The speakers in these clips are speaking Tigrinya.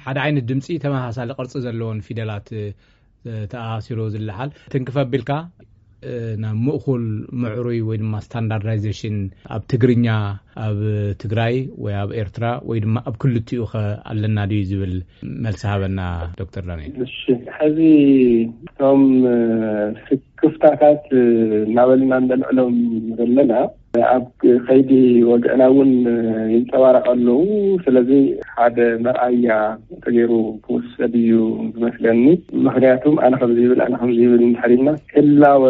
ሓደ ዓይነት ድምፂ ተመሳሳሊ ቅርፂ ዘለዎን ፊደላት ተኣሲሩ ዝለዓል ትንክፍ ኣቢልካ ናብ ምእኩል ምዕሩይ ወይ ድማ ስታንዳርዳይዜሽን ኣብ ትግርኛ ኣብ ትግራይ ወይ ኣብ ኤርትራ ወይ ድማ ኣብ ክልቲኡ ከ ኣለና ድዩ ዝብል መልሲ ሃበና ዶክተር ዳንኤል። እሺ፣ ሕዚ እቶም ክፍታታት እናበልና እንደልዕሎም ዘለና ኣብ ከይዲ ወግዕና እውን ይንፀባረቕ ኣለዉ። ስለዚ ሓደ መርኣያ ተገይሩ ክወሰድ እዩ ዝመስለኒ። ምክንያቱም ኣነ ከምዚ ይብል ኣነ ከምዚ ይብል እንድሕር ኢልና ህላወ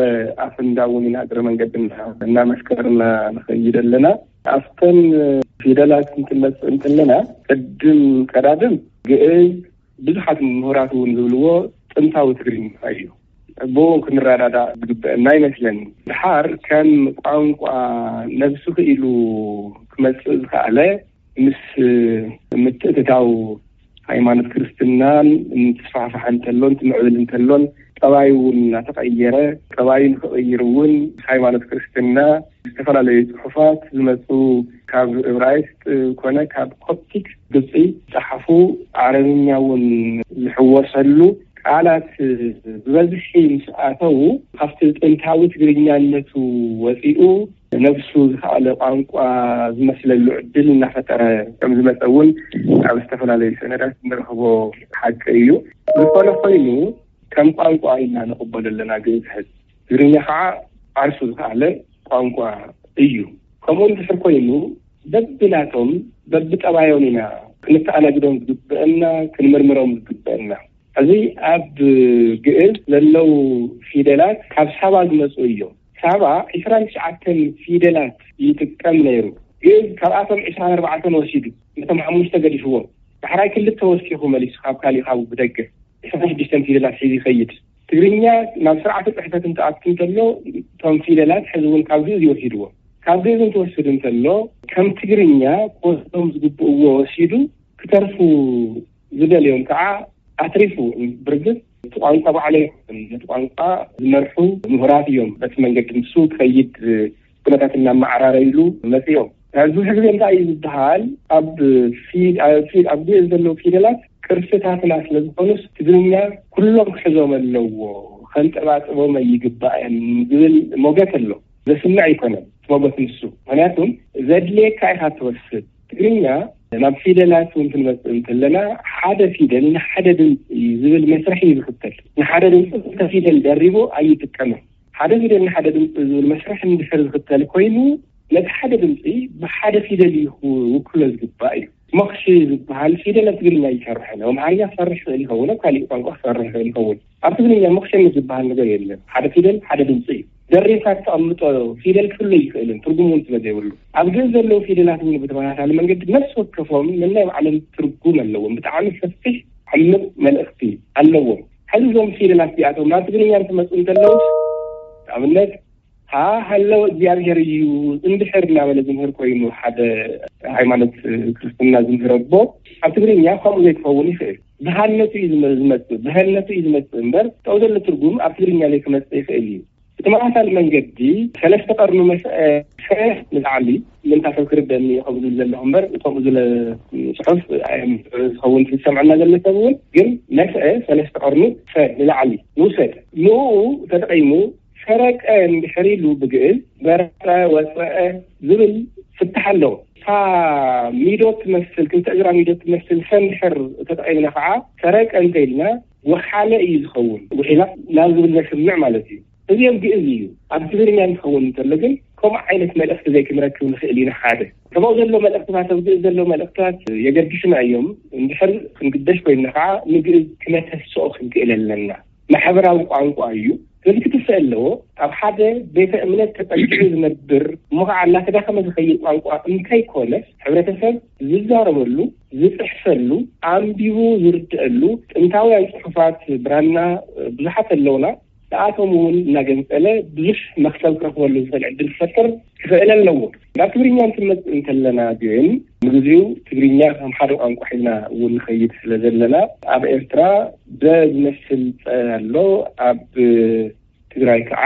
ኣፍንዳ እውን ኢና እግረ መንገድና እናመስከርና ንኸይድ ኣለና። ኣብተን ፊደላት እንትንመፅእ እንተለና ቅድም ቀዳድም ግእዝ ብዙሓት ምሁራት እውን ዝብልዎ ጥንታዊ ትግርኛ እዩ። ብኡ ክንረዳዳእ ዝግበአና ይመስለኒ። ድሓር ከም ቋንቋ ነብሱ ክኢሉ ክመፅእ ዝኸኣለ ምስ ምትእትታው ሃይማኖት ክርስትናን እንትስፋሕፋሕ እንተሎን ትምዕብል እንተሎን ጠባዩ እውን እናተቐየረ ጠባዩ ንክቕይር እውን ምስ ሃይማኖት ክርስትና ዝተፈላለዩ ፅሑፋት ዝመፁ ካብ እብራይስጥ ኮነ ካብ ኮፕቲክ ግብፂ ዝፀሓፉ ዓረብኛ እውን ዝሕወሰሉ ቃላት ብበዝሒ ምስ ኣተዉ ካብቲ ጥንታዊ ትግርኛነቱ ወፂኡ ነብሱ ዝኸኣለ ቋንቋ ዝመስለሉ ዕድል እናፈጠረ ከም ዝመፀ እውን ኣብ ዝተፈላለዩ ሰነዳት እንረኽቦ ሓቂ እዩ። ዝኾነ ኮይኑ ከም ቋንቋ ኢና ንቕበሎ ኣለና ግእዝ ሕዚ። ትግርኛ ከዓ ዓርሱ ዝኸኣለ ቋንቋ እዩ። ከምኡ እንድሕር ኮይኑ በብናቶም በብጠባዮም ኢና ክንተኣናግዶም ዝግበአና ክንምርምሮም ዝግበአና። እዚ ኣብ ግእዝ ዘለዉ ፊደላት ካብ ሳባ ዝመፁ እዮም። ሳባ ዕስራን ትሽዓተን ፊደላት ይጥቀም ነይሩ። ግእዝ ካብኣቶም ዕስራን ኣርባዕተን ወሲዱ ነቶም ሓሙሽተ ገዲፍዎም። ዳሕራይ ክልተ ወሲኹ መሊሱ ካብ ካሊእ ካብ ብደገ ዕስራን ሽዱሽተን ፊደላት ሒዙ ይኸይድ። ትግርኛ ናብ ስርዓተ ፅሕፈት እንትኣቱ እንተሎ እቶም ፊደላት ሕዚ እውን ካብ ግእዝ ይወሲድዎም። ካብ ግእዝ እንትወስድ እንተሎ ከም ትግርኛ ክወስዶም ዝግብእዎ ወሲዱ ክተርፉ ዝደልዮም ከዓ ኣትሪፉ ብርግፅ እቲ ቋንቋ ባዕሉ ኣይኮነን ነቲ ቋንቋ ዝመርሑ ምሁራት እዮም። በቲ መንገዲ ንሱ ክኸይድ ኩነታት እናመዓራረይሉ መፅኦም። ኣብዚ ሕዚ ግዜ እንታይ እዩ ዝበሃል ኣብ ፊድ ኣብ ፊድ ኣብ ግእዝ ዘለዉ ፊደላት ቅርስታትና ስለዝኾኑስ ትግርኛ ኩሎም ክሕዞም ኣለዎ ከንጠባጥቦም ኣይግባእን ዝብል ሞገት ኣሎ። ዘስምዕ ኣይኮነን እቲ ሞገት ንሱ። ምክንያቱም ዘድልየካ ኢኻ ትወስድ። ትግርኛ ናብ ፊደላት እውን ክንመፅእ እንተለና ሓደ ፊደል ንሓደ ድምፂ እዩ ዝብል መስርሕ እዩ ዝኽተል። ንሓደ ድምፂ ክልተ ፊደል ደሪቡ ኣይጥቀምን። ሓደ ፊደል ንሓደ ድምፂ ዝብል መስርሕ እንድሕር ዝኽተል ኮይኑ ነቲ ሓደ ድምፂ ብሓደ ፊደል እዩ ክውክሎ ዝግባእ እዩ። ሞኽሺ ዝበሃል ፊደል ኣብ ትግርኛ ይሰርሕን ኣብ ኣምሓርኛ ክሰርሕ ይኽእል ይኸውን፣ ኣብ ካሊእ ቋንቋ ክሰርሕ ይኽእል ይኸውን። ኣብ ትግርኛ ሞኽሸነት ዝበሃል ነገር የለን። ሓደ ፊደል ሓደ ድምፂ እዩ። ደሪብካ ተቐምጦ ፊደል ክፍለ ይኽእልን ትርጉም እውን ስለ ዘይብሉ ኣብ ግእዝ ዘለዉ ፊደላት እውን ብተመሳሳሊ መንገዲ ነፍሲ ወከፎም ነናይ ባዕሎም ትርጉም ኣለዎም። ብጣዕሚ ሰፊሕ ዓሚቕ መልእኽቲ ኣለዎም። ሕዚ እዞም ፊደላት እዚኣቶም ናብ ትግርኛ እንትመፁ እንተለውስ ንኣብነት ሃ ሃለወ እግዚኣብሔር እዩ እንድሕር እናበለ ዝምህር ኮይኑ ሓደ ሃይማኖት ክርስትና ዝምህር ኣቦ ኣብ ትግርኛ ከምኡ ዘይክኸውን ይኽእል። ብሃነቱ እዩ ዝመ- ዝመፅእ ብሀነቱ እዩ ዝመፅእ እምበር ጠው ዘሎ ትርጉም ኣብ ትግርኛ ዘይክመፅእ ይኽእል እዩ። ብተመሳሳሊ መንገዲ ሰለስተ ቀርኑ መስአ ሰ ንላዕሊ ምንታ ሰብ ክርደኒ ከምኡ ዝብል ዘለኹ እምበር ከምኡ ዝለ ፅሑፍ ዝኸውን ዝሰምዐና ዘሎ ሰብ እውን ግን መስአ ሰለስተ ቀርኑ ሰ ንላዕሊ ንውሰድ ንኡ ተጠቂሙ ሰረቀ እንድሕር ኢሉ ብግእዝ በረቀ ወፀአ ዝብል ፍታሕ ኣለዎ። እታ ሚዶ ትመስል ክልተ እግራ ሚዶ ትመስል ሰ እንድሕር ተጠቂምና ከዓ ሰረቀ እንተኢልና ወሓለ እዩ ዝኸውን። ውሒላ ናብ ዝብል ዘስምዕ ማለት እዩ። እዚኦም ግእዝ እዩ። ኣብ ትግርኛ እንትኸውን እንተሎ ግን ከምኡ ዓይነት መልእኽቲ ዘይክንረክብ ንኽእል ኢና። ሓደ ከምኡ ዘሎ መልእኽትታት ኣብ ግእዝ ዘለዉ መልእኽትታት የገድሱና እዮም። እንድሕር ክንግደስ ኮይንና ከዓ ንግእዝ ክነተስኦ ክንክእል ኣለና። ማሕበራዊ ቋንቋ እዩ። ስለዚ ክትስእ ኣለዎ። ኣብ ሓደ ቤተ እምነት ተጠጊዑ ዝነብር እሞ ከዓ እናተዳኸመ ዝኸይድ ቋንቋ እንተይኮነስ ሕብረተሰብ ዝዛረበሉ ዝፅሕፈሉ ኣንቢቡ ዝርድአሉ ጥንታውያን ፅሑፋት ብራና ብዙሓት ኣለውና። ንኣቶም እውን እናገንፀለ ብዙሕ መክሰብ ክረኽበሉ ዝኽእል ዕድል ክፈጥር ክኽእል ኣለዎ። ናብ ትግርኛ እንትንመፅእ እንተለና ግን ንግዚኡ ትግርኛ ከም ሓደ ቋንቋ ሒዝና እውን ንኸይድ ስለ ዘለና ኣብ ኤርትራ በ ዝመስል ፀ ኣሎ። ኣብ ትግራይ ከዓ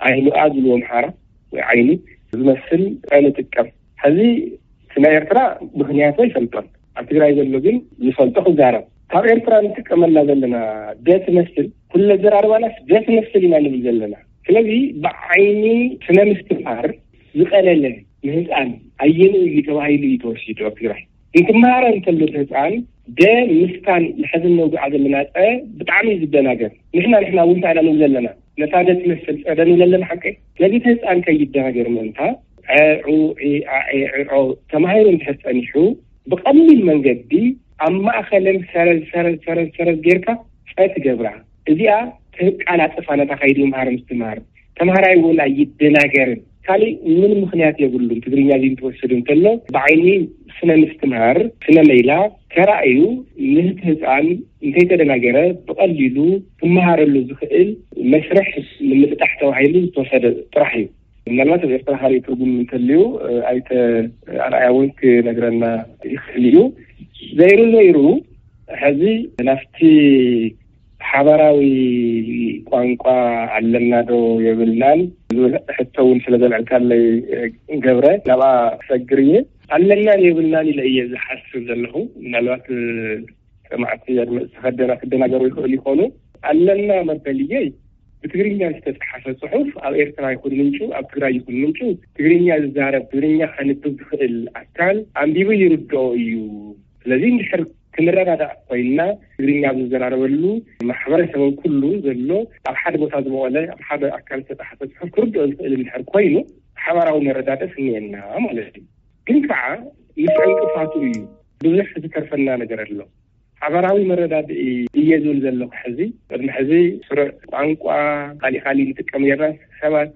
ዓይኑ ኣ ዝብልዎ ኣምሓራ ወይ ዓይኒ ዝመስል ፀ ንጥቀም። ሕዚ እቲ ናይ ኤርትራ ምኽንያቱ ኣይፈልጦን። ኣብ ትግራይ ዘሎ ግን ዝፈልጦ ክዛረብ። ካብ ኤርትራ ንጥቀመላ ዘለና ደ ትመስል፣ ኩለ ዘራርባናስ ደ ትመስል ኢና ንብል ዘለና። ስለዚ ብዓይኒ ስነ ምስትምሃር ዝቐለለ ንህፃን ኣየንኡ እዩ ተባሂሉ እዩ ተወሲዱ ኣብ ትግራይ። እንትመሃረ እንተሎ እቲ ህፃን ደ ምስታን ንሕዚ ነውግዓ ዘለና ፀ ብጣዕሚ እዩ ዝደናገር። ንሕና ንሕና እውን እንታይ ኢና ንብል ዘለና? ነታ ደ ትመስል ፀ ደ ንብል ኣለና ሓቀይ። ስለዚ እቲ ህፃን ከይደናገር ምእንታ ዐ፣ ዑ፣ ዒ፣ ዓ፣ ኤ፣ ዒ፣ ዖ ተማሂሩ እንድሕር ፀኒሑ ብቐሊል መንገዲ ኣብ ማእኸለን ሰረዝ ሰረዝ ሰረዝ ሰረዝ ጌርካ ፀ ትገብራ። እዚኣ ተቃላጥፋ ነታ ከይዲ ምምሃር ምስትምሃር። ተምሃራይ እውን ኣይደናገርን። ካሊእ ምን ምኽንያት የብሉን። ትግርኛ እዚ እንትወስድ እንተሎ ብዓይኒ ስነ ምስትምሃር፣ ስነ መይላ ተራእዩ ምህቲ ህፃን እንተይተደናገረ ብቐሊሉ ክመሃረሉ ዝኽእል መስርሕ ንምጥጣሕ ተባሂሉ ዝተወሰደ ጥራሕ እዩ። ምናልባት ኣብ ኤርትራ ካልእ ትርጉም እንተልዩ ኣይተ ኣርኣያ እውን ክነግረና ይኽእል እዩ። ዘይሩ ዘይሩ ሕዚ ናብቲ ሓባራዊ ቋንቋ ኣለና ዶ የብልናን ዝብል ሕቶ እውን ስለ ዘልዐልካለይ ገብረ ናብኣ ክሰግር እየ። ኣለናን የብልናን ኢለ እየ ዝሓስብ ዘለኹ። ምናልባት ሰማዕቲ ኣድመፅቲ ከደና ክደናገሩ ይኽእሉ ይኾኑ። ኣለና መበልየይ ብትግርኛ ዝተፅሓፈ ፅሑፍ ኣብ ኤርትራ ይኹን ምንጩ ኣብ ትግራይ ይኹን ምንጩ ትግርኛ ዝዛረብ ትግርኛ ከንብብ ዝኽእል ኣካል ኣንቢቡ ይርድኦ እዩ። ስለዚ እንድሕር ክንረዳዳእ ኮይንና ትግርኛ ኣብ ዝዘራረበሉ ማሕበረሰብ ኩሉ ዘሎ ኣብ ሓደ ቦታ ዝበቆለ ኣብ ሓደ ኣካል ዝተፃሓፈ ፅሑፍ ክርድኦ ዝኽእል እንድሕር ኮይኑ ሓባራዊ መረዳድእ ስኒኤና ማለት እዩ። ግን ከዓ ምስ ዕንቅፋቱ እዩ ብዙሕ ዝተርፈና ነገር ኣሎ። ሓባራዊ መረዳድኢ እየ ዝብል ዘለኹ ሕዚ ቅድሚ ሕዚ ስሩዕ ቋንቋ ካሊእ ካሊእ ንጥቀም ጌርና ሰባት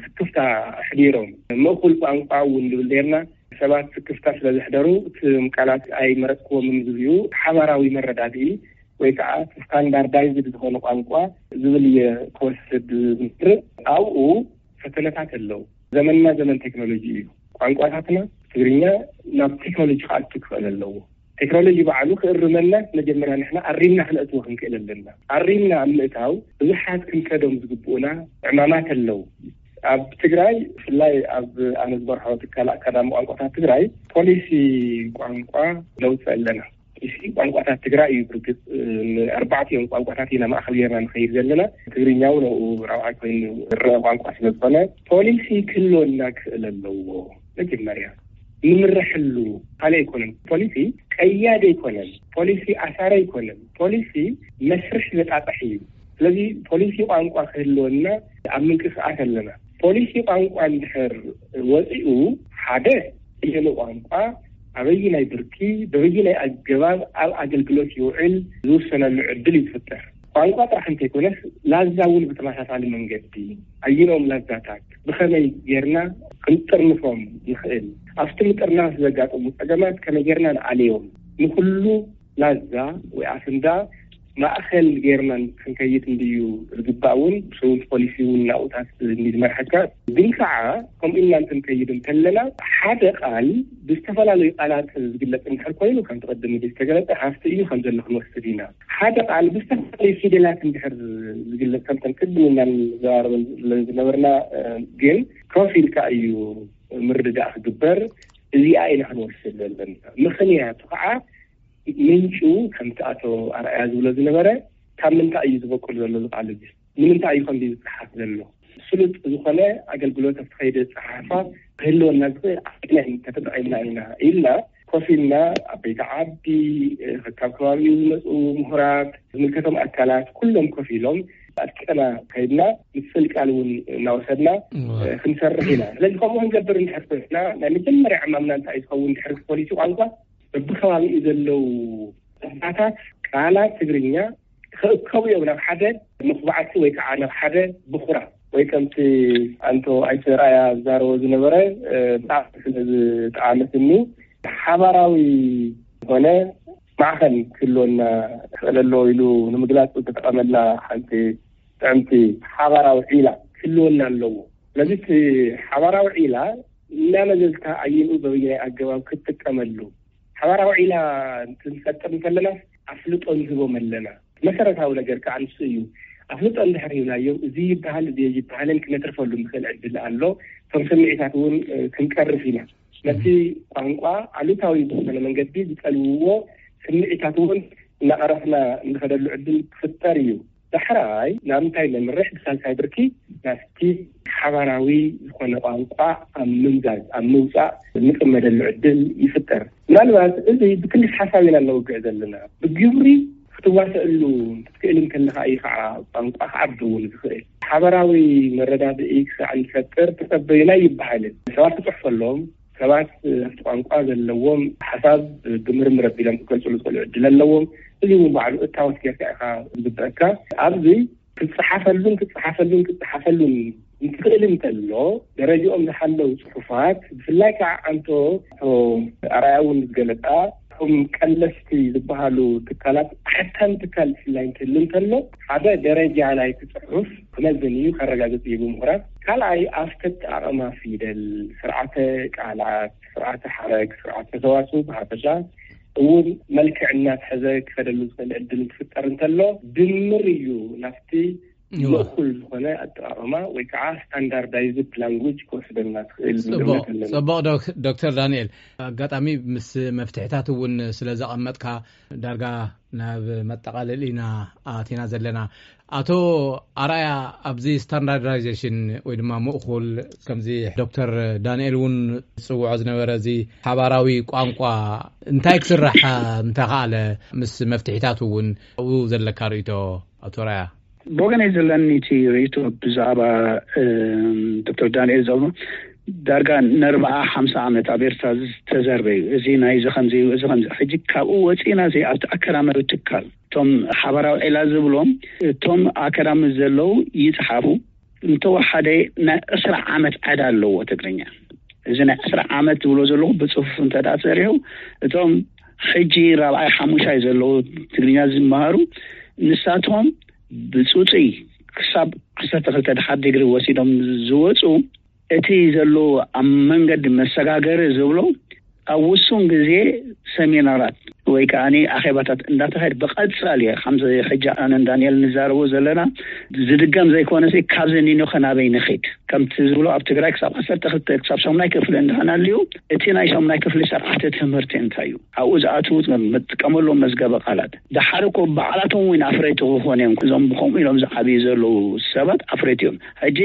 ስክፍታ ኣሕዲሮም ምእኩል ቋንቋ እውን ንብል ኔርና። ሰባት ስክፍታ ስለ ዘሕደሩ እቶም ቃላት ኣይመረፅክዎምን ዝብዩ ሓባራዊ መረዳድኢ ወይ ከዓ ስታንዳርዳይዝድ ዝኾነ ቋንቋ ዝብል እየ ክወስድ ዝምርጥ። ኣብኡ ፈተነታት ኣለዉ። ዘመንና ዘመን ቴክኖሎጂ እዩ። ቋንቋታትና ትግርኛ ናብ ቴክኖሎጂ ክኣቱ ክኽእል ኣለዎ። ቴክኖሎጂ ባዕሉ ክእርመና መጀመርያ ንሕና ኣሪምና ክነእትዎ ክንክእል ኣለና። ኣሪምና ኣብ ምእታው ብዙሓት ክንከዶም ዝግብኡና ዕማማት ኣለዉ። ኣብ ትግራይ ብፍላይ ኣብ ኣነ ዝበርሖ ትካል ኣካዳሚ ቋንቋታት ትግራይ ፖሊሲ ቋንቋ ነውፅእ ኣለና። ፖሊሲ ቋንቋታት ትግራይ እዩ። ብርግፅ ንኣርባዕቲኦም ቋንቋታት ኢና ማእኸል ጌርና ንኸይድ ዘለና። ትግርኛ እውን ኣብኡ ራብዓይ ኮይኑ ዝረአ ቋንቋ ስለ ዝኾነ ፖሊሲ ክህልወና ክኽእል ኣለዎ። መጀመርያ ንምረሐሉ ካልእ ኣይኮነን። ፖሊሲ ቀያዲ ኣይኮነን። ፖሊሲ ኣሳሪ ኣይኮነን። ፖሊሲ መስርሕ ዘጣጥሕ እዩ። ስለዚ ፖሊሲ ቋንቋ ክህልወና ኣብ ምንቅስቃስ ኣለና። ፖሊሲ ቋንቋ እንድሕር ወፂኡ ሓደ እየኑ ቋንቋ ኣበይናይ ብርኪ በበይናይ ኣገባብ ኣብ ኣገልግሎት ይውዕል ዝውሰነሉ ዕድል እዩ ዝፍጠር። ቋንቋ ጥራሕ እንተይኮነስ ላዛ እውን ብተመሳሳሊ መንገዲ ኣየኖም ላዛታት ብኸመይ ጌርና ክንጥርንፎም ንኽእል፣ ኣብቲ ምጥርናፍ ዘጋጠሙ ፀገማት ከመይ ጌርና ንኣለዮም፣ ንኩሉ ላዛ ወይ ኣፍንዳ ማእኸል ጌርና ክንከይድ እንድዩ ዝግባእ እውን ብሰውንቲ ፖሊሲ እውን ናብኡታት እንድዩ ዝመርሐካ። ግን ከዓ ከምኡ ኢልና እንትንከይድ እንተለና ሓደ ቃል ብዝተፈላለዩ ቃላት ዝግለፅ እንድሕር ኮይኑ ከምቲ ቅድም ኢሉ ዝተገለፀ ሃፍቲ እዩ ከም ዘሎ ክንወስድ ኢና። ሓደ ቃል ብዝተፈላለዩ ፊደላት እንድሕር ዝግለፅ ከምተን ቅድም ኢልና ንዘራረበን ዝነበርና ግን ኮፍ ኢልካ እዩ ምርድዳእ ክግበር። እዚኣ ኢና ክንወስድ ዘለና። ምኽንያቱ ከዓ ምንጩ ከምቲ ኣቶ ኣርኣያ ዝብሎ ዝነበረ ካብ ምንታይ እዩ ዝበቁል ዘሎ ዝቃል እዚ ንምንታይ እዩ ከምዚ ዝፀሓፍ ዘሎ ስሉጥ ዝኾነ ኣገልግሎት ኣብቲ ከይዲ ፀሓፋ ክህልወና ዝኽእል ኣፍናይ ተተጠቒምና ኢና ኢልና ኮፍ ኢልና ዓበይቲ ዓዲ ካብ ከባቢኡ ዝመፁ ምሁራት ዝምልከቶም ኣካላት ኩሎም ኮፍ ኢሎም ኣጥቂዕና ከይድና ምፅል ቃል እውን እናወሰድና ክንሰርሕ ኢና። ስለዚ ከምኡ ክንገብር እንድሕር ኮይና ናይ መጀመርያ ዕማምና እንታይ እዩ ዝኸውን ድሕሪ ፖሊሲ ቋንቋ በብከባቢኡ ዘለዉ ቋንቋታት ቃላት ትግርኛ ክእከቡ እዮም ናብ ሓደ መኹባዕቲ ወይ ከዓ ናብ ሓደ ብኹራ ወይ ከምቲ ኣንቶ ኣይተ ራያ ዝዛረቦ ዝነበረ ብጣዕሚ ስለ ዝጠዓመትኒ ሓባራዊ ዝኾነ ማዕኸን ክህልወና ክኽእል ኣለዎ ኢሉ ንምግላፅ ዝተጠቐመላ ሓንቲ ጥዕምቲ ሓባራዊ ዒላ ክህልወና ኣለዎ። ስለዚ እቲ ሓባራዊ ዒላ እናመዘዝካ ኣየንኡ በበየናይ ኣገባብ ክትጥቀመሉ ሓባራዊ ዒላ እንትንፈጥር እንከለና ኣፍልጦ ንህቦም ኣለና። መሰረታዊ ነገር ከዓ ንሱ እዩ። ኣፍልጦ እንድሕር ሂብናዮም እዚ ይበሃል እዚ ይበሃልን ክነትርፈሉ ንኽእል ዕድል ኣሎ። እቶም ስምዒታት እውን ክንቀርፍ ኢና። ነቲ ቋንቋ ኣሉታዊ ብዝኾነ መንገዲ ዝጠልውዎ ስምዒታት እውን እናቐረፍና እንኸደሉ ዕድል ክፍጠር እዩ። ዳሕራይ ናብ እንታይ ነምርሕ? ብሳልሳይ ብርኪ ናብቲ ሓባራዊ ዝኾነ ቋንቋ ኣብ ምምዛዝ፣ ኣብ ምውፃእ እንጥመደሉ ዕድል ይፍጠር። ምናልባት እዚ ብክልስ ሓሳብ ኢና እነውግዕ ዘለና። ብግብሪ ክትዋሰእሉ ክትክእል እንከለኻ እዩ ከዓ ቋንቋ ክዓቢ እውን ዝኽእል። ሓበራዊ መረዳድኢ ክሳዕ እንፈጥር ተጸበዩና ይበሃልን። ሰባት ክጽሕፈሎም፣ ሰባት ኣብቲ ቋንቋ ዘለዎም ሓሳብ ብምርምር ኣቢሎም ክገልጽሉ ዝኽእሉ ዕድል ኣለዎም። እዚ እውን ባዕሉ እታወት ጌርካ ኢኻ ዝግበአካ። ኣብዚ ክትጽሓፈሉን ክትጽሓፈሉን ክትጽሓፈሉን እንትኽእል እንተሎ፣ ደረጃኦም ዝሓለው ጽሑፋት፣ ብፍላይ ከዓ ኣንቶ ኣቶ ኣርኣያ እውን ዝገለጻ፣ እቶም ቀለስቲ ዝበሃሉ ትካላት፣ ሓታም ትካል ብፍላይ እንትህሉ እንተሎ፣ ሓደ ደረጃ ናይቲ ጽሑፍ ክመዝን እዩ፣ ከረጋግጽ እዩ ብምሁራት። ካልኣይ፣ ኣብቲ ኣጠቓቕማ ፊደል፣ ስርዓተ ቃላት፣ ስርዓተ ሓረግ፣ ስርዓተ ሰዋስው ብሓፈሻ እውን መልክዕ እናትሐዘ ክኸደሉ ዝኽእል ዕድል እንትፍጠር እንተሎ፣ ድምር እዩ ናብቲ እወ። ምእኩል ዝኾነ ኣጠቓቕማ ወይ ከዓ ስታንዳርዳይዝድ ላንጉጅ ክወስደልና ትኽእል ጽቡቕ፣ እምነት ኣለና። ጽቡቕ ዶክ-፣ ዶክተር ዳንኤል፣ ኣጋጣሚ ምስ መፍትሕታት እውን ስለ ዘቐመጥካ ዳርጋ ናብ መጠቓለሊ ኢና ኣቲና ዘለና። ኣቶ ኣርኣያ፣ ኣብዚ ስታንዳርዳይዜሽን ወይ ድማ ምእኩል፣ ከምዚ ዶክተር ዳንኤል እውን ዝጽውዖ ዝነበረ፣ እዚ ሓባራዊ ቋንቋ እንታይ ክስራሕ እንተኸኣለ፣ ምስ መፍትሒታት እውን ኣብኡ ዘለካ ርእይቶ፣ ኣቶ ኣርኣያ? ብወገነይ ዘለኒ እቲ ርእይቶ ብዛዕባ፣ እም፣ ዶክተር ዳንኤል ዘብሎ ዳርጋ ንኣርብዓ ሓምሳ ዓመት ኣብ ኤርትራ ዝተዘርበ እዩ። እዚ ናይዚ ከምዚ እዩ፣ እዚ ከምዚ። ሕጂ ካብኡ ወፂእና እዚ ኣብቲ ኣካዳማዊ ትካል እቶም ሓባራዊ ዕላል ዝብሎም እቶም ኣካዳሚ ዘለዉ ይፅሓፉ። እንተወሓደ ናይ ዕስራ ዓመት ዕዳ ኣለዎ ትግርኛ። እዚ ናይ ዕስራ ዓመት ዝብሎ ዘለኹ ብፅፉፍ እንተ ደኣ ተሰሪሑ፣ እቶም ሕጂ ራብዓይ ሓሙሻይ ዘለዉ ትግርኛ ዝመሃሩ ንሳቶም ብፁፁይ ክሳብ ዓሰርተ ክልተ ድሓር ዲግሪ ወሲዶም ዝወፁ እቲ ዘሎ ኣብ መንገዲ መሰጋገሪ ዝብሎ ኣብ ውሱን ግዜ ሰሚናራት ወይ ከዓኒ ኣኼባታት እንዳተኻየደ ብቐጻሊ ከምዚ ሕጂ ኣነን ዳንኤል ንዛረቦ ዘለና ዝድገም ዘይኮነሲ ካብዚ ኒኖኸ ናበይ ንኺድ ከምቲ ዝብሎ ኣብ ትግራይ ክሳብ ዓሰርተ ክልተ ክሳብ ሻሙናይ ክፍሊ እንድሕና ኣልዩ እቲ ናይ ሻሙናይ ክፍሊ ስርዓተ ትምህርቲ እንታይ እዩ ኣብኡ ዝኣትዉ መጥቀመሎም መዝገበ ቃላት ደሓር እኮ ባዕላቶም እውን ኣፍረይቲ ክኾኑ እዮም እዞም ብከምኡ ኢሎም ዝዓብዩ ዘለዉ ሰባት ኣፍረይቲ እዮም ሕጂ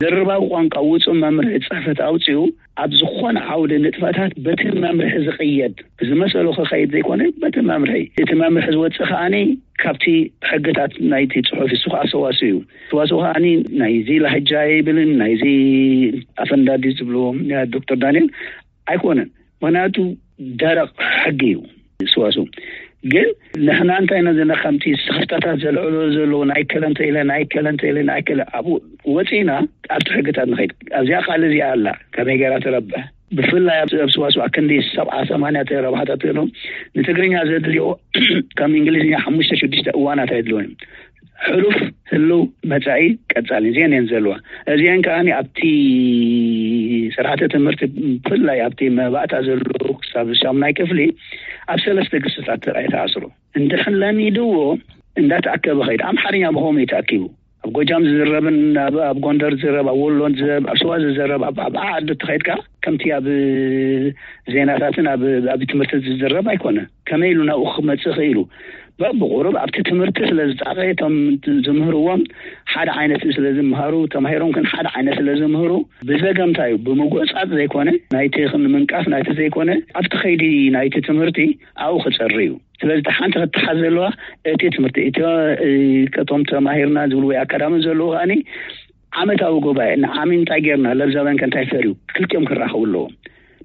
ድርባዊ ቋንቋ ውፁእ መምርሒ ፅሕፈት ኣውፅኡ ኣብ ዝኾነ ዓውዲ ንጥፈታት በቲ መምርሒ ዝቕየድ ዝመሰሉ ክኸይድ ዘይኮነ በቲ መምርሒ እቲ መምርሒ ዝወፅእ ከዓኒ ካብቲ ሕግታት ናይቲ ፅሑፍ እሱ ከዓ ሰዋስው እዩ ሰዋስው ከዓኒ ናይዚ ላህጃ ይብልን ናይዚ ኣፈንዳዲ ዝብልዎ ዶክተር ዳንኤል ኣይኮነን ምክንያቱ ደረቕ ሕጊ እዩ ሰዋስው ግን ንሕና እንታይ ኢና ዘለና ከምቲ ስኽፍታታት ዘልዕሎ ዘለዉ ናይ ከለ እንተ ኢለ ናይ ከለ እንተ ኢለ ናይ ከለ ኣብኡ ወፂእና ኣብቲ ሕግታት ንኸይድ ኣብዚኣ ቃል እዚኣ ኣላ ከመይ ገይራ ትረብሕ ብፍላይ ኣብ ኣብ ስዋስዋ ክንዲ ሰብዓ ሰማንያ ረብሓታት ዘለዎም ንትግርኛ ዘድልዮ ከም እንግሊዝኛ ሓሙሽተ ሽዱሽተ እዋናት ኣየድልዮን እዮም ሕሉፍ ህልው መፃኢ ቀፃሊ እዚአን እየን ዘለዋ እዚአን ከዓ ኣብቲ ስርዓተ ትምህርቲ ብፍላይ ኣብቲ መባእታ ዘለዉ ክሳብ ሻሙናይ ክፍሊ ኣብ ሰለስተ ግስታት ጥራይ ተኣስሩ እንድሕን ለሚድዎ እንዳተኣከበ ኸይድ ኣምሓርኛ ብኸምኡ እዩ ተኣኪቡ ኣብ ጎጃም ዝዝረብን ኣብ ኣብ ጎንደር ዝዝረብ ኣብ ወሎ ዝዝረብ ኣብ ሸዋ ዝዝረብ ኣብ ኣብ ዓዲ ተኸይድካ ከምቲ ኣብ ዜናታትን ኣብ ኣብ ትምህርቲ ዝዝረብ ኣይኮነ ከመይ ኢሉ ናብኡ ክመፅእ ክኢሉ በብቁሩብ ኣብቲ ትምህርቲ ስለ ዝፃቐ እቶም ዝምህርዎም ሓደ ዓይነት ስለ ዝምሃሩ ተማሂሮም ግን ሓደ ዓይነት ስለ ዝምህሩ ብዘገምታ እዩ ብምጎፃፅ ዘይኮነ ናይቲ ንምንቃፍ ናይቲ ዘይኮነ ኣብቲ ከይዲ ናይቲ ትምህርቲ ኣብኡ ክፀሪ እዩ ስለዚ ሓንቲ ክትሓዝ ዘለዋ እቲ ትምህርቲ እቲ እቶም ተማሂርና ዝብሉ ወይ ኣካዳሚ ዘለዉ ከዓኒ ዓመታዊ ጉባኤ ንዓሚ እንታይ ጌርና ለብዛውያን ከ እንታይ ፈርዩ ክልቲኦም ክራኸቡ ኣለዎም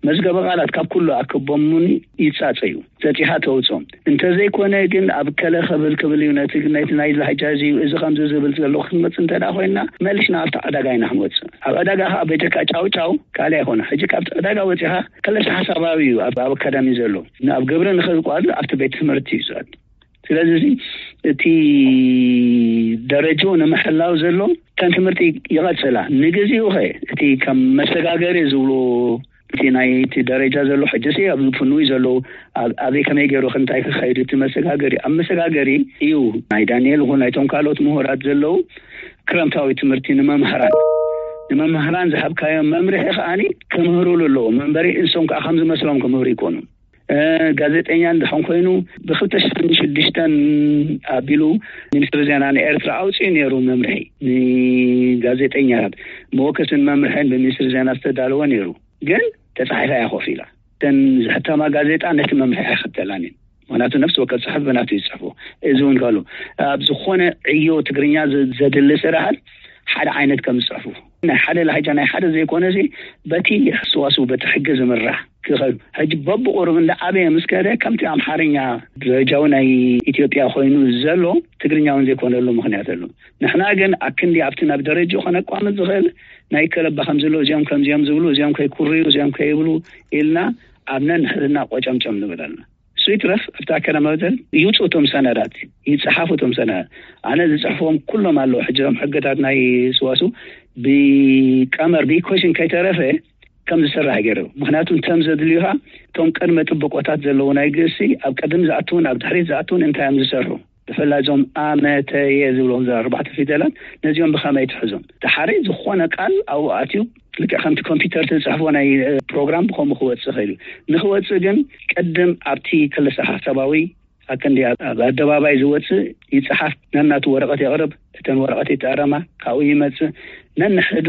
መዝገበ ቃላት ካብ ኩሉ ኣከቦም እውን ይጻጸዩ ዘጺሓ ተውጾም እንተዘይኮነ ግን ኣብ ከለ ከብል ክብል እዩ ነቲ ነቲ ናይ ላሕጃ እዚ እዩ እዚ ከምዚ ዝብል ዘሎ ክትመጽእ እንተ ኮይንና መሊስና ኣብቲ ዕዳጋ ኢና ክንወጽእ ኣብ ዕዳጋ ከዓ በጀካ ጫው ጫው ካልእ ኣይኮነ ሕጂ ካብቲ ዕዳጋ ወጺኻ ክልተ ሓሳባዊ እዩ ኣብ ኣካዳሚ ዘሎ ኣብ ግብሪ ንኽእል ቋል ኣብቲ ቤት ትምህርቲ እዩ ዝኣቱ ስለዚ እዚ እቲ ደረጃኡ ንምሕላው ዘሎ ከም ትምህርቲ ይቐፅላ ንግዚኡ ኸ እቲ ከም መሰጋገሪ ዝብሉ እቲ ናይ እቲ ደረጃ ዘሎ ሕጂ ሲ ኣብ ፍኑይ ዘለዉ ኣበይ ከመይ ገይሩ ክንታይ ክኸይድ እቲ መሰጋገሪ ኣብ መሰጋገሪ እዩ ናይ ዳንኤል ይኹን ናይቶም ካልኦት ምሁራት ዘለዉ ክረምታዊ ትምህርቲ ንመምሃራን ንመምህራን ዝሃብካዮም መምርሒ ከዓኒ ክምህሩሉ ኣለዎም እምበሪ፣ ንሶም ከዓ ከም ዝመስሎም ክምህሩ ይኮኑ። ጋዜጠኛ እንድሕን ኮይኑ፣ ብክልተ ሽሕን ሽዱሽተን ኣቢሉ ሚኒስትሪ ዜና ንኤርትራ ኣውፅኡ ነይሩ መምርሒ፣ ንጋዜጠኛታት መወከስን መምርሕን ብሚኒስትሪ ዜና ዝተዳለወ ነይሩ። ግን ተፃሒፋ እያ ኮፍ ኢላ። እተን ዝሕተማ ጋዜጣ ነቲ መምርሒ ኣይኽተላን እየን። ምክንያቱ ነፍሲ ወከፍ ፅሑፍ ብናቱ ይፅሕፉ። እዚ እውን ከሉ ኣብ ዝኾነ ዕዮ ትግርኛ ዘ- ዘድሊ ስራሓት ሓደ ዓይነት ከም ዝፅሕፉ፣ ናይ ሓደ ላህጃ ናይ ሓደ ዘይኮነ ሲ፣ በቲ ሰዋስው በቲ ሕጊ ዝምራሕ ክኸዱ። ሕጂ በብቁሩብ እንዳ ዓበየ ምስ ከደ ከምቲ ኣምሓርኛ ደረጃዊ ናይ ኢትዮጵያ ኮይኑ ዘሎ ትግርኛ እውን ዘይኮነሉ ምክንያት ኣሎ። ንሕና ግን ኣክንዲ ኣብቲ ናብ ደረጃ ከነቋምጥ ዝኽእል ናይ ከለባ ከም ዝሎ እዚኦም ከምዚኦም ዝብሉ እዚኦም ከይኩርዩ እዚኦም ከይብሉ ኢልና ኣብ ነንሕድና ቆጨምጨም ንብል ኣለና። እሱ ይትረፍ ኣብቲ ኣካዳሚ መበተን ይውፅኡ እቶም ሰነዳት፣ ይፀሓፉ እቶም ሰነዳት። ኣነ ዝፅሕፍዎም ኩሎም ኣለዉ። ሕጂ እዞም ሕግታት ናይ ስዋሱ ብቀመር ብኢኮሽን ከይተረፈ ከም ዝስራሕ ገይሩ። ምክንያቱ እንተም ዘድልዩካ እቶም ቅድመ ጥብቆታት ዘለዉ ናይ ግእሲ ኣብ ቅድም ዝኣትውን ኣብ ድሕሪት ዝኣትውን እንታይ እዮም ዝሰርሑ? ብፍላይ እዞም ኣመተየ ዝብሎም እዛ ኣርባዕተ ፊደላት ነዚኦም ብኸመይ ትሕዞም? እቲ ሓደ ዝኾነ ቃል ኣብኡ ኣትዩ ልክዕ ከምቲ ኮምፒውተር ትፅሕፎ ናይ ፕሮግራም ብከምኡ ክወፅእ ይኽእል እዩ። ንክወፅእ ግን ቅድም ኣብቲ ክልሰ ሓሳባዊ ኣክንዲ ኣብ ኣደባባይ ዝወፅእ ይፅሓፍ፣ ነናቱ ወረቐት የቕርብ፣ እተን ወረቐት ይተኣረማ፣ ካብኡ ይመፅእ። ነንሕዱ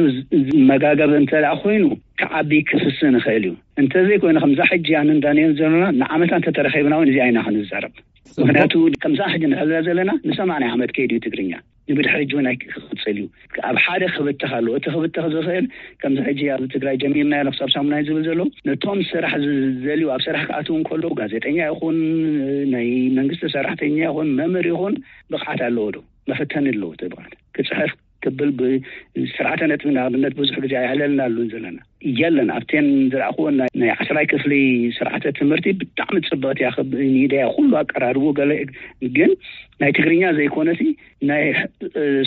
መጋገብ እንተ ደኣ ኮይኑ ክዓቢ ክፍስን ይኽእል እዩ። እንተዘይኮይኑ ከምዛ ሕጂ ኣንን ዳንኤል ዘለና ንዓመታ እንተተረኺብና እውን እዚኣ ኢና ክንዛረብ። ምክንያቱ ከምዛ ሕጂ ንሕዛ ዘለና ንሰማንያ ዓመት ከይዱ እዩ ትግርኛ። ንብድሕሪ እውን ኣይክቕፅል እዩ። ኣብ ሓደ ክብተኽ ኣለዎ። እቲ ክብተኽ ዝኽእል ከምዚ ሕጂ ኣብ ትግራይ ጀሚርና ኢና ክሳብ ሳሙናይ ዝብል ዘሎ ነቶም ስራሕ ዝደልዩ ኣብ ስራሕ ክኣትው እንከለዉ ጋዜጠኛ ይኹን ናይ መንግስቲ ሰራሕተኛ ይኹን መምህር ይኹን ብቕዓት ኣለዎ ዶ? መፈተኒ ኣለዎ እቲ ብቕዓት ክፅሕፍ ክብል ብስርዓተ ነጥቢ ንኣብነት ብዙሕ ግዜ ኣይዕለልና ኣሉን ዘለና የለን። ኣብቴን ዝረኣኽዎ ናይ ዓስራይ ክፍሊ ስርዓተ ትምህርቲ ብጣዕሚ ፅብቕቲ እያ። ሚዲያ ኩሉ ኣቀራርቡ ገለ ግን ናይ ትግርኛ ዘይኮነሲ ናይ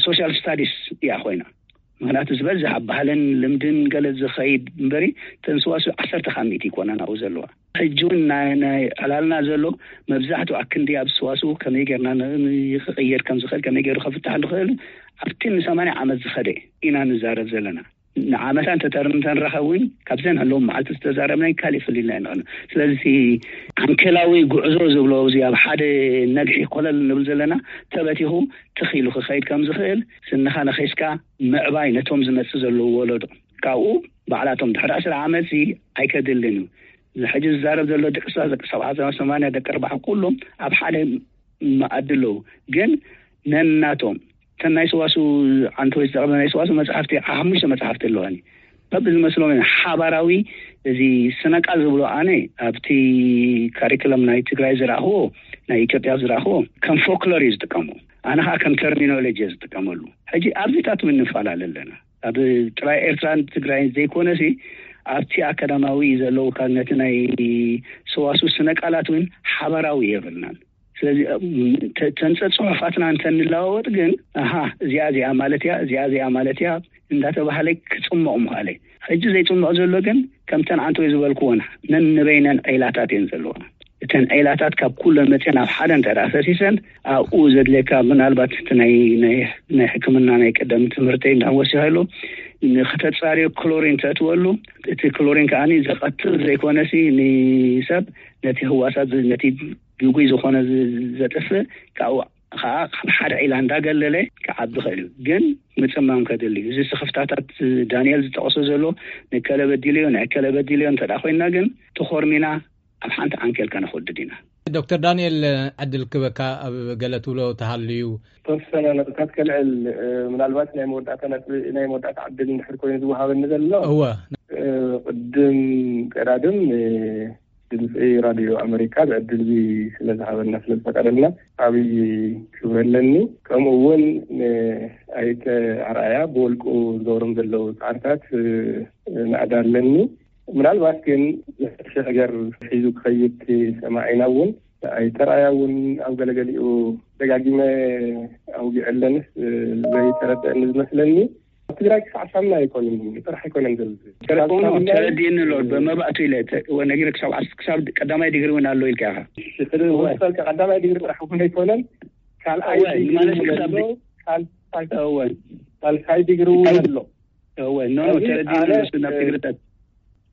ሶሻል ስታዲስ እያ ኮይና። ምክንያቱ ዝበዝሕ ኣብ ባህልን ልምድን ገለ ዝኸይድ እምበሪ ተንስዋሱ ዓሰርተ ካብ ሚእቲ ይኮና ናብኡ ዘለዋ። ሕጂ እውን ናይ ዕላልና ዘሎ መብዛሕትኡ ኣክንዲ ኣብ ስዋሱ ከመይ ጌርና ክቕየር ከም ዝኽእል ከመይ ገይሩ ከፍታሕ ዝኽእል ኣብቲ ንሰማንያ ዓመት ዝኸደ ኢና ንዛረብ ዘለና። ንዓመታ እንተተርምተን ረኸብ እውን ካብዘን ኣለዎም መዓልቲ ዝተዛረብናይ ካሊእ ፍልልና ይንቕን። ስለዚ ዓንኬላዊ ጉዕዞ ዝብሎ እዚ ኣብ ሓደ ነግሒ ኮለል ንብል ዘለና ተበቲኹ ትኺሉ ክኸይድ ከም ዝኽእል ስንኻ ነኺስካ ምዕባይ ነቶም ዝመጽእ ዘለዉ ወለዶ ካብኡ ባዕላቶም ድሕሪ ዕስራ ዓመት እዚ ኣይከድልን እዩ። እዚ ሕጂ ዝዛረብ ዘሎ ደቂ ሰባት ደቂ ሰብዓ ሰማንያ ደቂ ኣርባዓ ኩሎም ኣብ ሓደ መኣዲ ኣለዉ። ግን ነናቶም እተን ናይ ሰዋሱ ዓንተወይ ዝጠቕመ ናይ ሰዋሱ መጽሓፍቲ ሓሙሽተ መጽሓፍቲ ኣለዋኒ በብዝመስሎም ሓባራዊ እዚ ስነቃል ዝብሎ ኣነ ኣብቲ ካሪክለም ናይ ትግራይ ዝረኣኽዎ ናይ ኢትዮጵያ ዝረኣኽዎ ከም ፎክሎር እዩ ዝጥቀሙ። ኣነ ከዓ ከም ተርሚኖሎጂ ዝጥቀመሉ። ሕጂ ኣብዚታት ምንፈላለ ኣለና ኣብ ጥራይ ኤርትራን ትግራይን ዘይኮነሲ ኣብቲ ኣካዳማዊ ዘለዉ ካብ ነቲ ናይ ሰዋሱ ስነ ቃላት እውን ሓበራዊ የብልናን። ስለዚ ተንፀ ፅሑፋትና እንተንለዋወጥ ግን ኣሃ እዚኣ እዚኣ ማለት እያ እዚኣ እዚኣ ማለት እያ እንዳተባሃለ ክፅሞቕ ምኽኣለ። ሕጂ ዘይፅሞቕ ዘሎ ግን ከምተን ዓንተወይ ዝበልክዎን ነንበይነን ዒላታት እየን ዘለዋ። እተን ዒላታት ካብ ኩለን መፅአን ኣብ ሓደ እንተ ፈሲሰን ኣብኡ ዘድልየካ ምናልባት እቲ ናይ ናይ ሕክምና ናይ ቀደም ትምህርተይ እንዳወሲኸሉ ንክተፃርዮ ክሎሪን ተእትወሉ። እቲ ክሎሪን ከዓ ዘቐትል ዘይኮነሲ ንሰብ ነቲ ህዋሳት ነቲ ግጉይ ዝኾነ ዘጥፍእ ካብኡ ከዓ ካብ ሓደ ዒላ እንዳገለለ ክዓቢ ይኽእል እዩ። ግን ምፅማም ከድል እዩ። እዚ ስኽፍታታት ዳንኤል ዝጠቐሶ ዘሎ ንከለ በዲልዮ ንከለ በዲልዮ እንተ ኮይንና ግን ተኾርሚና ኣብ ሓንቲ ዓንኬል ከነኽወድድ ኢና። ዶክተር ዳንኤል ዕድል ክበካ ኣብ ገለ ትብሎ ተሃልዩ። ተወሰነ ነጥብታት ከልዕል ምናልባት ናይ መወዳእታ ነጥቢ ናይ መወዳእታ ዕድል እንድሕር ኮይኑ ዝወሃበኒ ዘሎ እወ ቅድም ቀዳድም ድምፂ ራድዮ ኣመሪካ ብዕድል እዚ ስለ ዝሃበና ስለ ዝፈቀደልና ዓብይ ክብሪ ኣለኒ። ከምኡ እውን ንኣይተ ኣርኣያ ብወልቁ ዝገብሮም ዘለዉ ፃዕርታት ናእዳ ኣለኒ። ምናልባት ግን ዘሐሸ ነገር ሒዙ ክኸይድ ሰማዒና እውን ኣይተ ኣርኣያ እውን ኣብ ገለገሊኡ ደጋጊመ ኣውጊዐ ኣለንስ ዘይተረደአኒ ዝመስለኒ ኣብ ትግራይ ክሳዕ ሳምና ኣይኮንን ጥራሕ ኣይኮነን ዘሎ ተረዲእኒ ኣሎ ብመባእቱ ኢለ ነጊረ ክሳብ ክሳብ ቀዳማይ ዲግሪ እውን ኣሎ ኢልካ ኢኻ። ቀዳማይ ዲግሪ ጥራሕ እውን ኣይኮነን ካልኣይ ዲግሪ እውን ኣሎ። ካልሳይ ዲግሪ እውን ኣሎ። እወ፣ ኖ፣ ኖ፣ ሕዚ ተረዲእና ኣነ፣ ንሱ ናብ እ፣ ትግርኛ።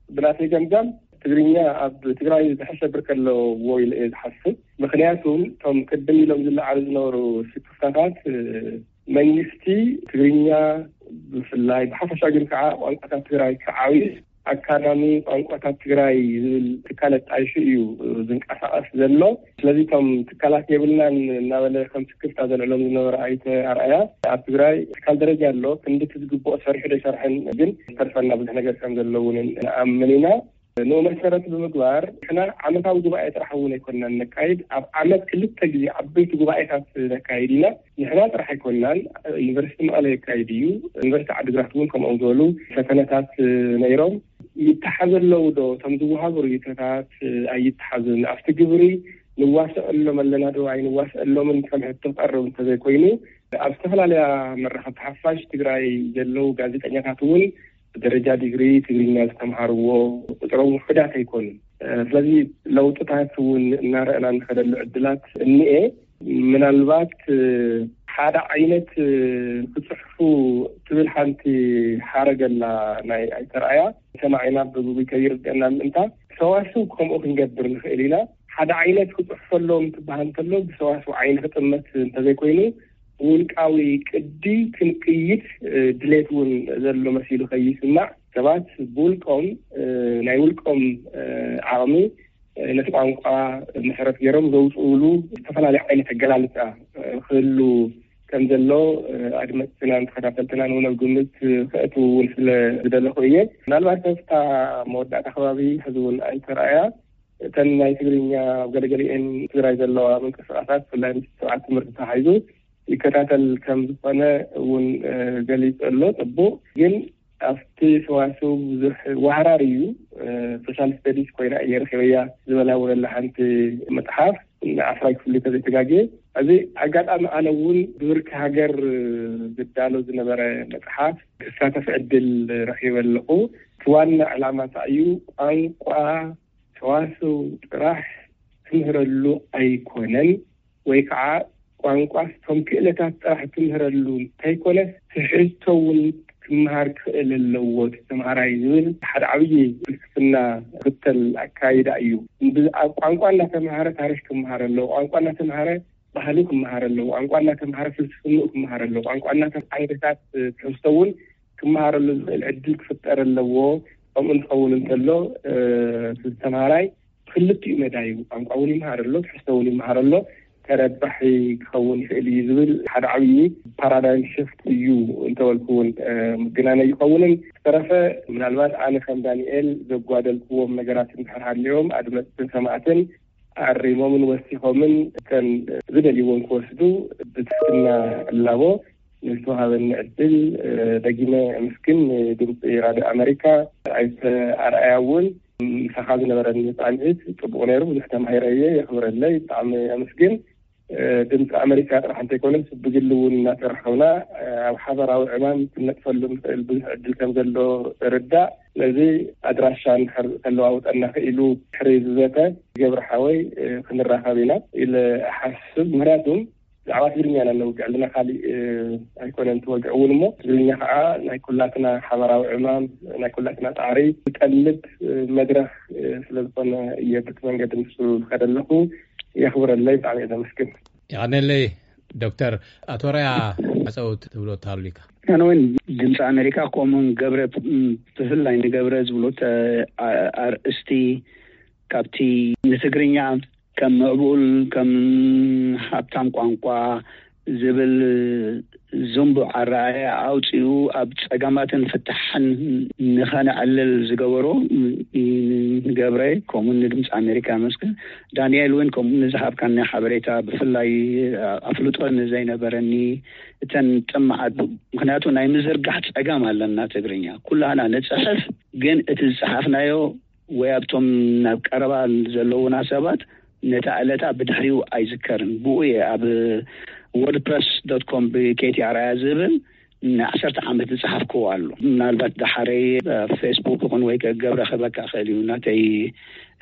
ብናተይ ገምጋም ትግርኛ ኣብ ትግራይ ዝሕሸ ብርክ ኣለዎ ኢለ እየ ዝሓስብ። ምኽንያቱም እቶም ቅድም ኢሎም ዝለዓሉ ዝነበሩ ስክፍታታት፣ እ፣ መንግስቲ ትግርኛ ብፍላይ ብሓፈሻ ግን ከዓ ቋንቋታት ትግራይ ክዓብዩ ኣካዳሚ ቋንቋታት ትግራይ ዝብል ትካል ኣጣይሹ እዩ ዝንቀሳቐስ ዘሎ። ስለዚ እቶም ትካላት የብልናን እናበለ ከም ስክፍታ ዘልዕሎም ዝነበረ ኣይተ ኣርኣያ፣ ኣብ ትግራይ ትካል ደረጃ ኣሎ፣ ክንዲ እቲ ዝግብኦ ሰሪሑ ዶ ኣይሰርሐን ግን ዝተርፈና ብዙሕ ነገር ከም ዘሎ እውን ንኣምን ኢና። ንኡ መሰረት ብምግባር ንሕና ዓመታዊ ጉባኤ ጥራሕ እውን ኣይኮንናን ነካይድ፣ ኣብ ዓመት ክልተ ግዜ ዓበይቲ ጉባኤታት ነካይድ ኢና። ንሕና ጥራሕ ኣይኮንናን፣ ዩኒቨርሲቲ መቐለ የካይድ እዩ። ዩኒቨርሲቲ ዓዲግራት እውን ከምኦም ዝበሉ ፈተነታት ነይሮም። ይተሓዘ ኣለዉ ዶ? እቶም ዝወሃቡ ርእይቶታት ኣይተሓዙን። ኣብቲ ግብሪ ንዋሰኣሎም ኣለና ዶ ኣይንዋሰኣሎምን ከም ሕቶ ክቐርብ እንተዘይኮይኑ፣ ኣብ ዝተፈላለያ መራኸብቲ ሓፋሽ ትግራይ ዘለዉ ጋዜጠኛታት እውን ብደረጃ ዲግሪ ትግርኛ ዝተምሃርዎ ቁፅሮም ውሑዳት ኣይኮኑን። ስለዚ ለውጥታት እውን እናረኣና እንኸደሉ ዕድላት እኒኤ። ምናልባት ሓደ ዓይነት ክፅሕፉ ትብል ሓንቲ ሓረግ ኣላ ናይ ኣይተ ኣርኣያ። ሰማዒና ብጉጉይ ከይርድአና ምእንታ ሰዋስው ከምኡ ክንገብር ንኽእል ኢና። ሓደ ዓይነት ክፅሕፈሎም ትበሃል እንተሎ ብሰዋስው ዓይኒ ክጥመት እንተዘይኮይኑ ውልቃዊ ቅዲ ክንቅይድ ድሌት እውን ዘሎ መሲሉ ከይስማዕ፣ ሰባት ብውልቆም ናይ ውልቆም ዓቕሚ ነቲ ቋንቋ መሰረት ገይሮም ዘውፅኡሉ ዝተፈላለዩ ዓይነት ኣገላልፃ ክህሉ ከም ዘሎ ኣድመፅትናን ተኸታተልትናን እውን ኣብ ግምት ከእትው እውን ስለ ዝደለኹ እየ። ምናልባት ኣብታ መወዳእታ ከባቢ ሕዚ እውን ኣይተ ኣርኣያ እተን ናይ ትግርኛ ኣብ ገለገሊኤን ትግራይ ዘለዋ ምንቅስቃሳት ብፍላይ ምስ ስርዓት ትምህርቲ ተታሒዙ ይከታተል ከም ዝኾነ እውን ገሊፁ ኣሎ። ፅቡቅ ግን ኣብቲ ሰዋስው ብዙሕ ዋህራር እዩ። ሶሻል ስተዲስ ኮይና እየ ረኪበያ ዝበላ እውን ኣላ ሓንቲ መፅሓፍ ንዓስራይ ክፍሊ ተዘይተጋግየ። እዚ ኣጋጣሚ ኣነ እውን ብብርኪ ሃገር ዝዳሎ ዝነበረ መፅሓፍ ክሳተፍ ዕድል ረኪበ ኣለኹ። እቲ ዋና ዕላማ እንታይ እዩ? ቋንቋ ሰዋስው ጥራሕ ትምህረሉ ኣይኮነን፣ ወይ ከዓ ቋንቋ እቶም ክእለታት ጥራሕ ትምህረሉ እንተይኮነስ ትሕዝቶ እውን ክመሃር ክኽእል ኣለዎ እቲ ተምሃራይ ዝብል ሓደ ዓብዪ ፍልስፍና ዝኽተል ኣካይዳ እዩ። ብ-፣ ኣብ ቋንቋ እናተምሃረ ታሪክ ክመሃር ኣለዎ። ቋንቋ እናተምሃረ ባህሊ ክመሃር ኣለዎ። ቋንቋ እናተምሃረ ፍልስፍንኡ ክመሃር ኣለዎ። ቋንቋ እናተምሃረ ዓይነታት ትሕዝቶ እውን ክመሃረሉ ዝኽእል ዕድል ክፍጠር ኣለዎ። ከምኡ እንትኸውን እንተሎ፣ እ፣ እቲ ተምሃራይ ክልቲኡ መዳይ ቋንቋ እውን ይመሃር ኣሎ፣ ትሕዝቶ እውን ይመሃር ኣሎ፣ ተረባሒ ክኸውን ይኽእል እዩ ዝብል ሓደ ዓብዪ ፓራዳይም ሽፍት እዩ እንተበልኩ እውን፣ እ፣ ምግናን ኣይኸውንን። ዝተረፈ ምናልባት ኣነ ከም ዳንኤል ዘጓደልክዎም ነገራት እንድሕር ሃልዮም ኣድመፅትን ሰማዕትን ኣሪሞምን ወሲኾምን ከም ዝደልይዎን ክወስዱ ብትሕትና እላቦ። ንዝተዋሃበኒ ዕድል፣ እ፣ ደጊመ ኣመስግን። ንድምፂ ራድዮ ኣመሪካ ኣይተ ኣርኣያ እውን ምሳኻ ዝነበረኒ ፃንሒት ፅቡቕ ነይሩ። ብዙሕ ተማሂረ እየ። የኽብረለይ። ብጣዕሚ ኣመስግን። እ፣ ድምፂ ኣመሪካ ጥራሕ እንተይኮነስ ብግሊ እውን እናሰራሕኹና፣ እ፣ ኣብ ሓበራዊ ዕማም ክንነጥፈሉ ንኽእል ብዙሕ ዕድል ከም ዘሎ ርዳእ። ስለዚ ኣድራሻ እንድሕር ተለዋውጠና ክኢሉ ድሕሪ ዝዘተ ገብረ ሓወይ፣ እ፣ ክንራኸብ ኢና ኢለ እሓስብ። ምክንያቱም ብዛዕባ ትግርኛ ኢና ነውግዕ ኣለና፣ ካሊእ፣ እ፣ ኣይኮነን ትወግዕ እውን እሞ፣ ትግርኛ ከዓ ናይ ኩላትና ሓበራዊ ዕማም፣ ናይ ኩላትና ፃዕሪ ዝጠልብ፣ እ፣ መድረኽ፣ እ፣ ስለ ዝኾነ እየ በቲ መንገዲ ንሱ ዝኸደ ኣለኹ። የኽብረለይ፣ ብጣዕሚ እየ ዘመስግን። የቐነለይ ዶክተር። ኣቶ ራያ፣ መጸውት ትብሎ ተሃሉካ? ኣነ እውን ድምፂ ኣሜሪካ ከምኡን ገብረ፣ ም፣ ብፍላይ ንገብረ ዝብሎ ተ-፣ ኣ-፣ ኣርእስቲ ካብቲ ንትግርኛ ከም ምዕቡል፣ ከም ሃብታም ቋንቋ ዝብል ዝንቡዕ ኣረኣእያ ኣውፂኡ ኣብ ፀገማትን ፍታሕን ንኸነዕልል ዝገበሮ ንገብረ ከምኡ ንድምፂ ኣሜሪካ መስገን። ዳንኤል እውን ከምኡ ንዝሃብካኒ ሓበሬታ ብፍላይ ኣፍልጦ ንዘይነበረኒ እተን ጥማዓት፣ ምክንያቱ ናይ ምዝርጋሕ ፀገም ኣለና ትግርኛ። ኩላህና ንፅሕፍ ግን እቲ ዝፀሓፍናዮ ወይ ኣብቶም ናብ ቀረባ ዘለዉና ሰባት ነታ ዕለታ ብድሕሪኡ ኣይዝከርን። ብኡ እየ ኣብ ወርድፕረስ ዶት ኮም ብኬቲ ኣርኣያ ዝብል ንዓሰርተ ዓመት ዝፀሓፍክዎ ኣሎ። ምናልባት ደሓረይ ኣብ ፌስቡክ ይኹን ወይ ገብረ ክህበካ ክእል እዩ ናተይ፣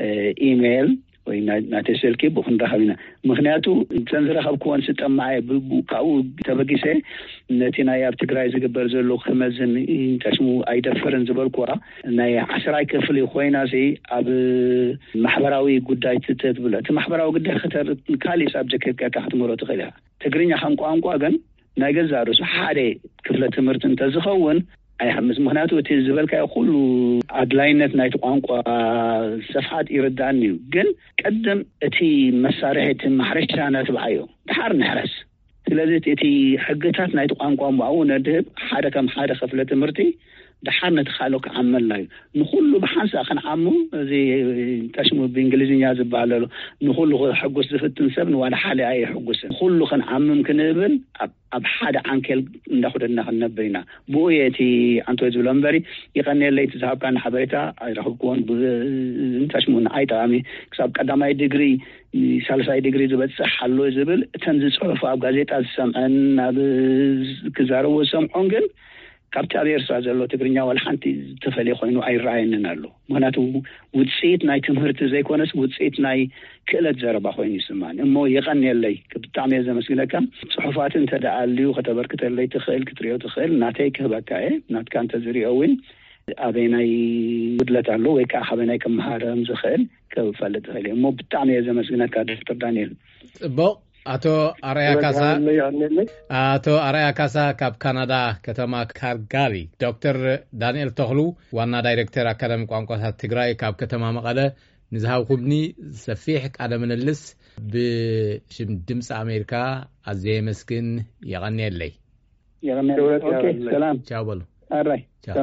እ፣ ኢሜይል። ወይ ናይ- ናተይ ስልኪ ብክንራኸብ ኢና። ምክንያቱ እተን ዝረኸብክወን ስጠማዐ ካብኡ ተበጊሰ ነቲ ናይ ኣብ ትግራይ ዝግበር ዘሎ ክመዝን ተሽሙ ኣይደፍርን ዝበልኩዋ ናይ ዓስራይ ክፍሊ ኮይና ሲ ኣብ ማሕበራዊ ጉዳይ ትተትብሎ እቲ ማሕበራዊ ጉዳይ ከተር ካሊእ ሳብጀክት ጌርካ ክትምህሮ ትኽእል ኢኻ። ትግርኛ ከም ቋንቋ ግን ናይ ገዛ ርእሱ ሓደ ክፍለ ትምህርቲ እንተዝኸውን ኣይሓምስ። ምክንያቱ እቲ ዝበልካዮ ኩሉ ኣድላይነት ናይቲ ቋንቋ ሰፍሓት ይርዳእኒ እዩ። ግን ቅድም እቲ መሳርሒ እቲ ማሕረሻ ነትብዓዮ ድሓር ንሕረስ። ስለዚ እቲ ሕግታት ናይቲ ቋንቋ ምባኡ ነድህብ ሓደ ከም ሓደ ክፍለ ትምህርቲ ድሓር ነቲ ካልኦ ክዓመላ እዩ። ንኩሉ ብሓንሳእ ክንዓሙ እዚ ታሽሙ ብእንግሊዝኛ ዝበሃል ኣሎ። ንኩሉ ክሕጉስ ዝፍትን ሰብ ንዋላ ሓደ ኣይሕጉስን። ኩሉ ክንዓምም ክንብል ኣብ ሓደ ዓንኬል እንዳኹደድና ክንነብር ኢና። ብኡ እየ እቲ ዓንቶ ዝብሎ እምበሪ ይቐንየለይ እቲ ዝሃብካኒ ሓበሬታ ኣይረኽብክዎን። ብታሽሙ ንዓይ ጠቓሚ ክሳብ ቀዳማይ ዲግሪ ሳልሳይ ዲግሪ ዝበፅሕ ኣሎ ዝብል እተን ዝፅሑፍ ኣብ ጋዜጣ ዝሰምዐን ኣብ ክዛረቦ ዝሰምዖን ግን ካብቲ ኣብ ኤርትራ ዘሎ ትግርኛ ዋላ ሓንቲ ዝተፈለየ ኮይኑ ኣይረኣየንን ኣሎ። ምክንያቱ ውፅኢት ናይ ትምህርቲ ዘይኮነስ ውፅኢት ናይ ክእለት ዘረባ ኮይኑ ይስማኒ እሞ የቐንየለይ። ብጣዕሚ እየ ዘመስግነካ። ፅሑፋት እንተ ደኣ ኣልዩ ከተበርክተለይ ትኽእል ክትሪኦ ትኽእል ናተይ ክህበካ እየ። ናትካ እንተ ዝሪኦ እውን ኣበይናይ ጉድለት ኣሎ ወይ ከዓ ካበይናይ ክመሃረም ዝኽእል ክፈልጥ ይኽእል እየ እሞ ብጣዕሚ እየ ዘመስግነካ ዶክተር ዳንኤል። ፅቡቕ። ኣቶ ኣርያ ካሳ ኣቶ ኣርያ ካሳ ካብ ካናዳ ከተማ ካልጋሪ። ዶክተር ዳንኤል ተኽሉ ዋና ዳይሬክተር ኣካዳሚ ቋንቋታት ትግራይ ካብ ከተማ መቐለ ንዝሃብኩምኒ ሰፊሕ ቃለ ምልልስ ብሽም ድምፂ ኣሜሪካ ኣዘየ መስግን። የቐንየለይ። ሰላም ቻው በሉ። ኣራይ ቻው።